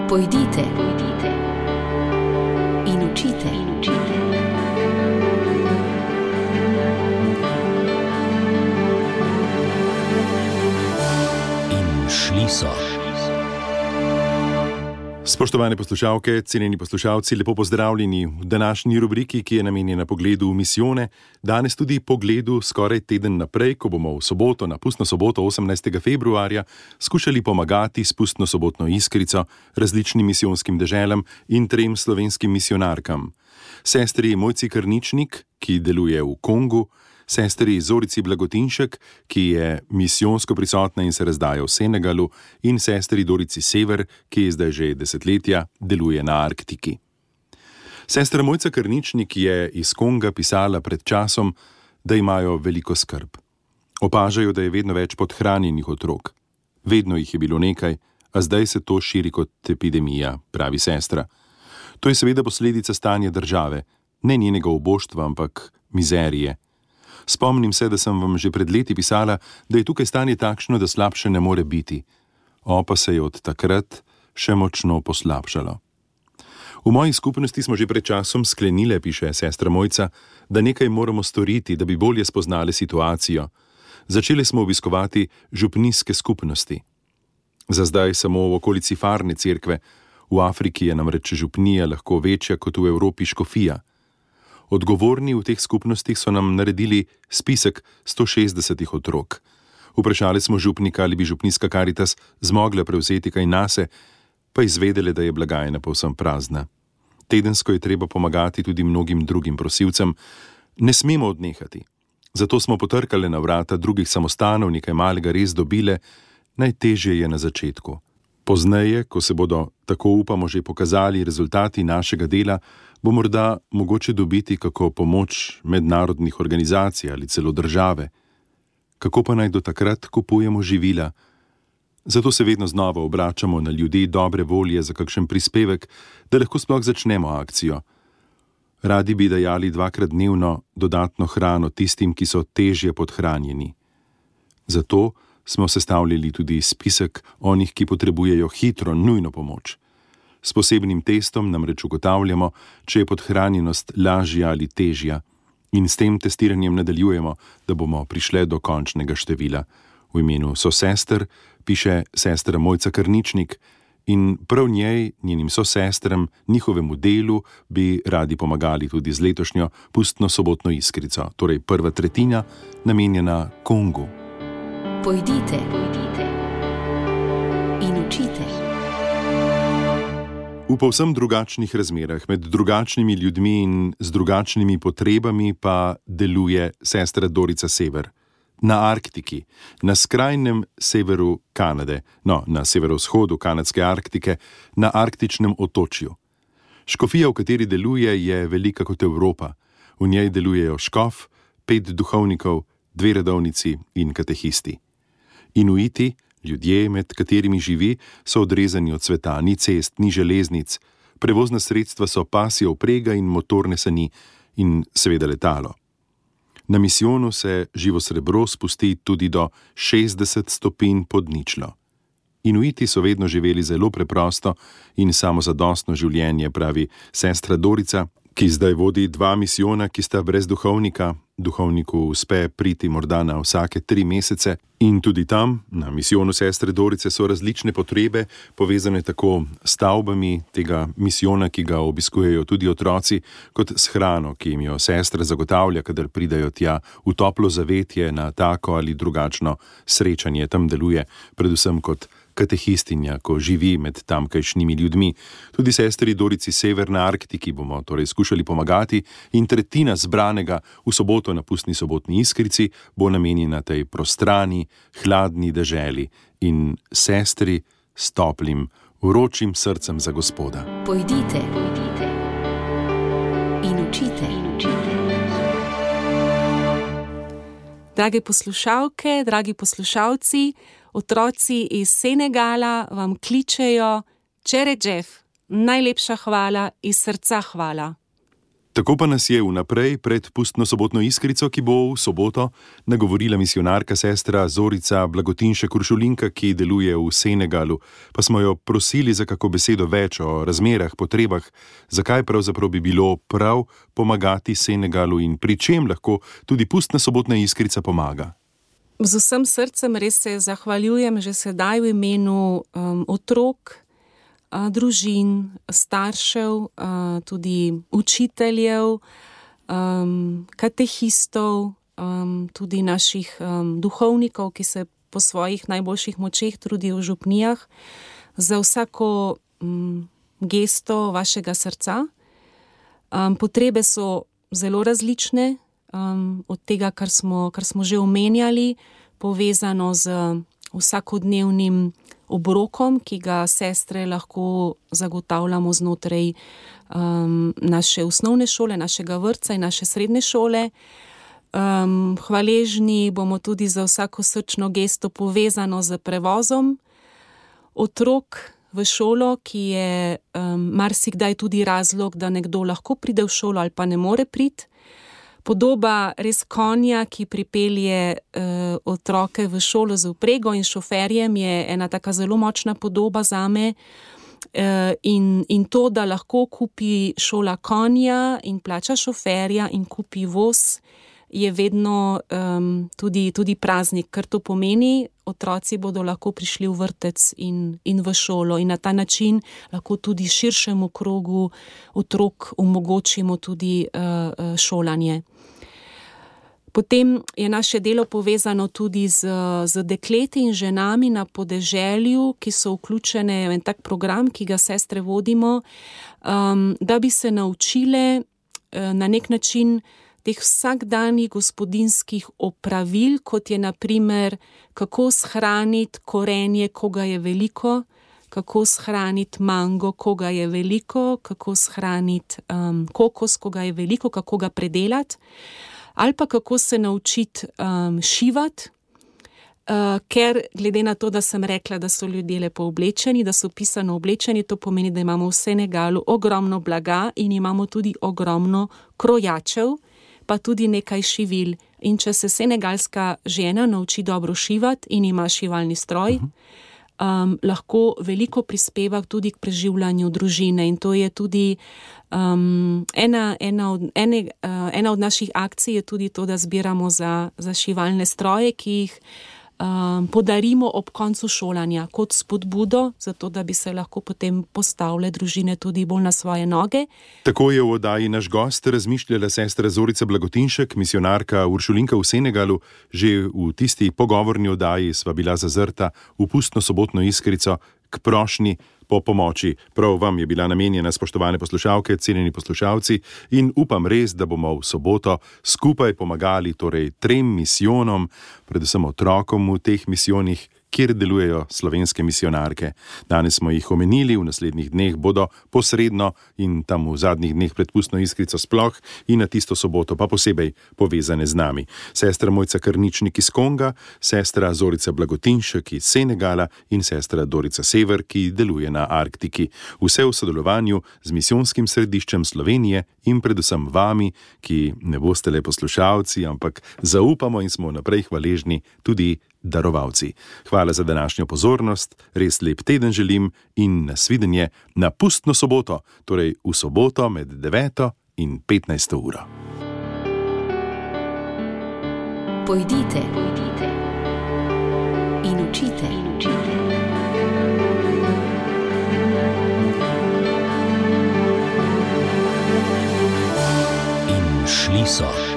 Pojdite in učite. In šli so. Spoštovane poslušalke, cenjeni poslušalci, lepo pozdravljeni v današnji rubriki, ki je namenjena pogledu v misijone. Danes tudi pogledu skoraj teden naprej, ko bomo v soboto, na pustno soboto 18. februarja, skušali pomagati s pustno sobotno iskrico različnim misijonskim deželam in 3 slovenskim misijonarkam. Sestri Mojci Krničnik, ki deluje v Kongu, sestri Zorici Blagotinšek, ki je misijonsko prisotna in se razdaja v Senegalu, in sestri Dorici Sever, ki zdaj že desetletja deluje na Arktiki. Sestra Mojca Krničnik je iz Konga pisala pred časom, da imajo veliko skrb. Opažajo, da je vedno več podhranjenih otrok. Vedno jih je bilo nekaj, a zdaj se to širi kot epidemija, pravi sestra. To je seveda posledica stanja države, ne njenega oboštva, ampak mizerije. Spomnim se, da sem vam že pred leti pisala, da je tukaj stanje takšno, da slabše ne more biti. Pa se je od takrat še močno poslabšalo. V moji skupnosti smo že pred časom sklenile, piše sestra Mojca, da nekaj moramo storiti, da bi bolje spoznali situacijo. Začeli smo obiskovati župnijske skupnosti. Za zdaj samo v okolici farne cerkve, v Afriki je namreč župnija lahko večja kot v Evropi škofija. Odgovorni v teh skupnostih so nam naredili spisek 160 otrok. Vprašali smo župnika, ali bi župnijska Karitas zmogla prevzeti kaj nase, pa izvedele, da je blagajna povsem prazna. Tedensko je treba pomagati tudi mnogim drugim prosilcem. Ne smemo odnehati. Zato smo potrkale na vrata drugih samostanov, nekaj malega res dobile, najtežje je na začetku. Pozneje, ko se bodo, tako upamo, že pokazali rezultati našega dela, bo morda mogoče dobiti kako pomoč mednarodnih organizacij ali celo države. Kako pa naj do takrat kupujemo živila? Zato se vedno znova obračamo na ljudi dobre volje za kakšen prispevek, da lahko sploh začnemo akcijo. Radi bi dajali 2-krat dnevno dodatno hrano tistim, ki so težje podhranjeni. Zato smo sestavljali tudi spisek onih, ki potrebujejo hitro, nujno pomoč. S posebnim testom namreč ugotavljamo, če je podhranjenost lažja ali težja, in s tem testiranjem nadaljujemo, da bomo prišli do končnega števila. V imenu sosester piše sestra Mojca Krničnik in prav njej, njenim sosestram, njihovemu delu bi radi pomagali tudi z letošnjo pustno sobotno iskrico, torej prva tretjina namenjena Kongu. Pojdite in učite. V povsem drugačnih razmerah, med drugačnimi ljudmi in z drugačnimi potrebami pa deluje sestra Dorica Sever. Na Arktiki, na skrajnem severu Kanade, na severovzhodu kanadske Arktike, na arktičnem otočju. Škofija, v kateri deluje, je velika kot Evropa. V njej delujejo škof, 5 duhovnikov, 2 redovnici in katehisti. Inuiti, ljudje, med katerimi živi, so odrezani od sveta, ni cest, ni železnic, prevozna sredstva so pasja vprega in motorne sani in seveda letalo. Na misijonu se živo srebro spusti tudi do 60 stopinj pod ničlo. Inuiti so vedno živeli zelo preprosto in samozadostno življenje, pravi sestra Dorica, ki zdaj vodi 2 misijona, ki sta brez duhovnika. Duhovniku uspe priti morda na vsake 3 mesece in tudi tam, na misijonu sestre Dorice, so različne potrebe, povezane tako s stavbami tega misijona, ki ga obiskujejo tudi otroci, kot s hrano, ki jim jo sestra zagotavlja, kadar pridajo tja v toplo zavetje na tako ali drugačno srečanje. Tam deluje predvsem kot katehistinja, ko živi med tamkajšnjimi ljudmi. Tudi sestri Dorici Sever na Arktiki bomo torej skušali pomagati in tretjina zbranega v soboto na pustni sobotni iskrici bo namenjena tej prostrani, hladni deželi in sestri s toplim, vročim srcem za Gospoda. Pojdite in učite. Drage poslušalke, dragi poslušalci, otroci iz Senegala vam kličejo: Čere Džef, najlepša hvala, iz srca hvala. Tako pa nas je vnaprej pred pustno sobotno iskrico, ki bo v soboto, nagovorila misionarka sestra Zorica Blagotinšek Uršulinka, ki deluje v Senegalu, pa smo jo prosili za kako besedo več o razmerah, potrebah, zakaj pravzaprav bi bilo prav pomagati Senegalu in pri čem lahko tudi pustna sobotna iskrica pomaga. Z vsem srcem res se zahvaljujem že sedaj v imenu otrok, družin, staršev, tudi učiteljev, katehistov, tudi naših duhovnikov, ki se po svojih najboljših močeh trudijo v župnijah, za vsako gesto vašega srca. Potrebe so zelo različne, od tega, kar smo že omenjali, povezano z vsakodnevnim obrokom, ki ga sestre lahko zagotavljamo znotraj naše osnovne šole, našega vrtca in naše srednje šole. Hvaležni bomo tudi za vsako srčno gesto povezano z prevozom otrok v šolo, ki je marsikdaj tudi razlog, da nekdo lahko pride v šolo ali pa ne more priti. Podoba res konja, ki pripelje otroke v šolo z vprego in šoferjem, je ena taka zelo močna podoba zame. In to, da lahko kupi šola konja in plača šoferja in kupi voz, je vedno tudi praznik, ker to pomeni, otroci bodo lahko prišli v vrtec in v šolo in na ta način lahko tudi širšemu krogu otrok omogočimo tudi šolanje. Potem je naše delo povezano tudi z dekleti in ženami na podeželju, ki so vključene v en tak program, ki ga sestre vodimo, da bi se naučile na nek način teh vsakdanjih gospodinjskih opravil, kot je na primer, kako shraniti korenje, ko ga je veliko, kako shraniti mango, ko ga je veliko, kako shraniti kokos, ko ga je veliko, kako ga predelati, ali pa kako se naučiti šivati, ker glede na to, da sem rekla, da so ljudje lepo oblečeni, da so pisano oblečeni, to pomeni, da imamo v Senegalu ogromno blaga in imamo tudi ogromno krojačev, pa tudi nekaj šivil. In če se senegalska žena nauči dobro šivati in ima šivalni stroj, lahko veliko prispeva tudi k preživljanju družine. In to je tudi ena od naših akcij je tudi to, da zbiramo za šivalne stroje, ki jih podarimo ob koncu šolanja kot spodbudo, zato da bi se lahko potem postavile družine tudi bolj na svoje noge. Tako je v oddaji Naš gost razmišljala sestra Zorica Blagotinšek, misionarka Uršulinka v Senegalu. Že v tisti pogovorni oddaji sva bila zazrta v pustno sobotno iskrico k prošnji po pomoči. Prav vam je bila namenjena, spoštovane poslušalke, cenjeni poslušalci, in upam res, da bomo v soboto skupaj pomagali torej 3 misijonom, predvsem otrokom v teh misijonih, kjer delujejo slovenske misionarke. Danes smo jih omenili, v naslednjih dneh bodo posredno in tam v zadnjih dneh pred pustno iskrico sploh in na tisto soboto pa posebej povezane z nami. Sestra Mojca Krničnik iz Konga, sestra Zorica Blagotinšek iz Senegala in sestra Dorica Sever, ki deluje na Arktiki. Vse v sodelovanju z misijonskim središčem Slovenije in predvsem vami, ki ne boste le poslušalci, ampak zaupamo in smo naprej hvaležni tudi darovalci. Hvala za današnjo pozornost, res lep teden želim in nasvidenje na pustno soboto, torej v soboto med 9. in 15. uro. Pojdite in učite. In šli so.